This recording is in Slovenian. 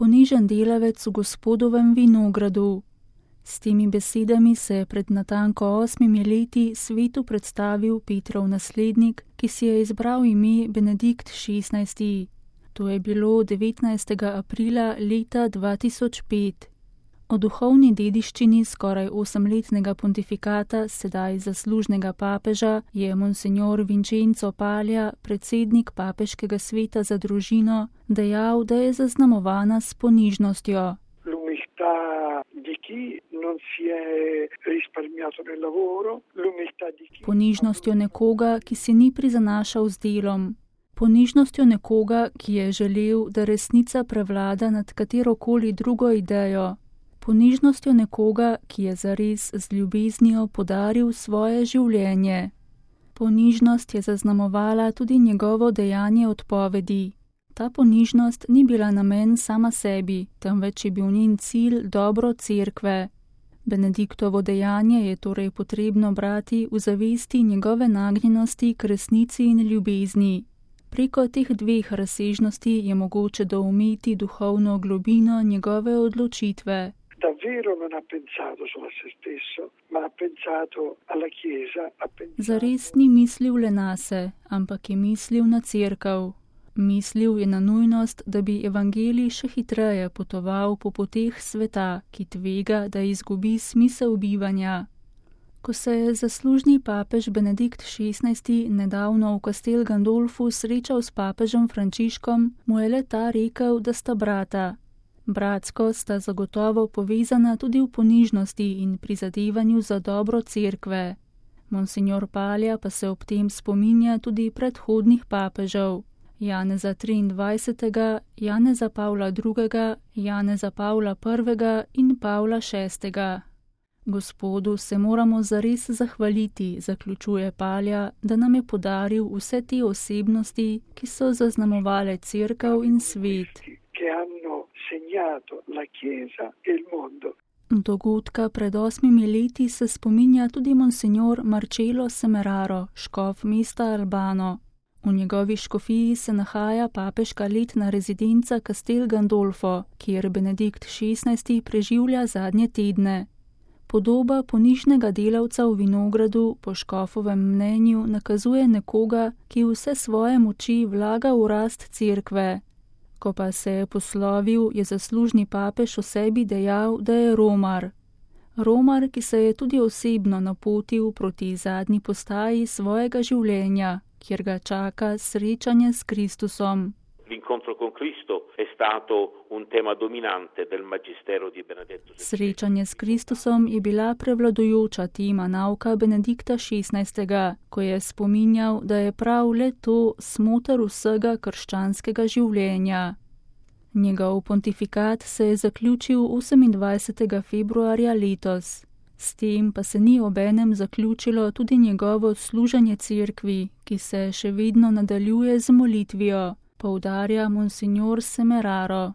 ponižen delavec v Gospodovem vinogradu. S temi besedami se je pred natanko 8 leti svetu predstavil Petrov naslednik, ki si je izbral ime Benedikt XVI. To je bilo 19. aprila leta 2005. O duhovni dediščini skoraj 8-letnega pontifikata, sedaj zaslužnega papeža, je monsignor Vincenzo Paglia, predsednik Papeškega sveta za družino, dejal, da je zaznamovana s ponižnostjo. Ponižnostjo nekoga, ki si ni prizanašal z delom. Ponižnostjo nekoga, ki je želel, da resnica prevlada nad katerokoli drugo idejo. Ponižnostjo nekoga, ki je zares z ljubeznijo podaril svoje življenje. Ponižnost je zaznamovala tudi njegovo dejanje odpovedi. Ta ponižnost ni bila namen sama sebi, temveč je bil njen cilj dobro cerkve. Benediktovo dejanje je torej potrebno brati v zavesti njegove nagnjenosti k resnici in ljubezni. Preko teh dveh razsežnosti je mogoče doumeti duhovno globino njegove odločitve. Zares ni mislil le nase, ampak je mislil na cerkev. Mislil je na nujnost, da bi evangelij še hitreje potoval po poteh sveta, ki tvega, da izgubi smisel bivanja. Ko se je zaslužni papež Benedikt XVI. Nedavno v Castel Gandolfu srečal s papežem Frančiškom, mu je le ta rekel, da sta brata. Bratsko sta zagotovo povezana tudi v ponižnosti in prizadevanju za dobro cerkve. Monsignor Paglia pa se ob tem spominja tudi predhodnih papežev. Janeza XXIII., Janeza Pavla II., Janeza Pavla I. in Pavla VI. Gospodu se moramo zares zahvaliti, zaključuje Paglia, da nam je podaril vse te osebnosti, ki so zaznamovale cerkev in svet. Dogodka pred 8 leti se spominja tudi monsignor Marcello Semeraro, škof mesta Albano. V njegovi škofiji se nahaja papeška letna rezidenca Castel Gandolfo, kjer Benedikt XVI. Preživlja zadnje tedne. Podoba ponižnega delavca v vinogradu po škofovem mnenju nakazuje nekoga, ki vse svoje moči vlaga v rast cerkve. Ko pa se je poslovil, je zaslužni papež o sebi dejal, da je romar. Romar, ki se je tudi osebno napotil proti zadnji postaji svojega življenja, kjer ga čaka srečanje s Kristusom. Srečanje s Kristusom je bila prevladujoča tema nauka Benedikta XVI., ko je spominjal, da je prav le to smoter vsega krščanskega življenja. Njegov pontifikat se je zaključil 28. februarja letos. S tem pa se ni obenem zaključilo tudi njegovo služenje cerkvi, ki se še vedno nadaljuje z molitvijo, poudarja monsignor Semeraro.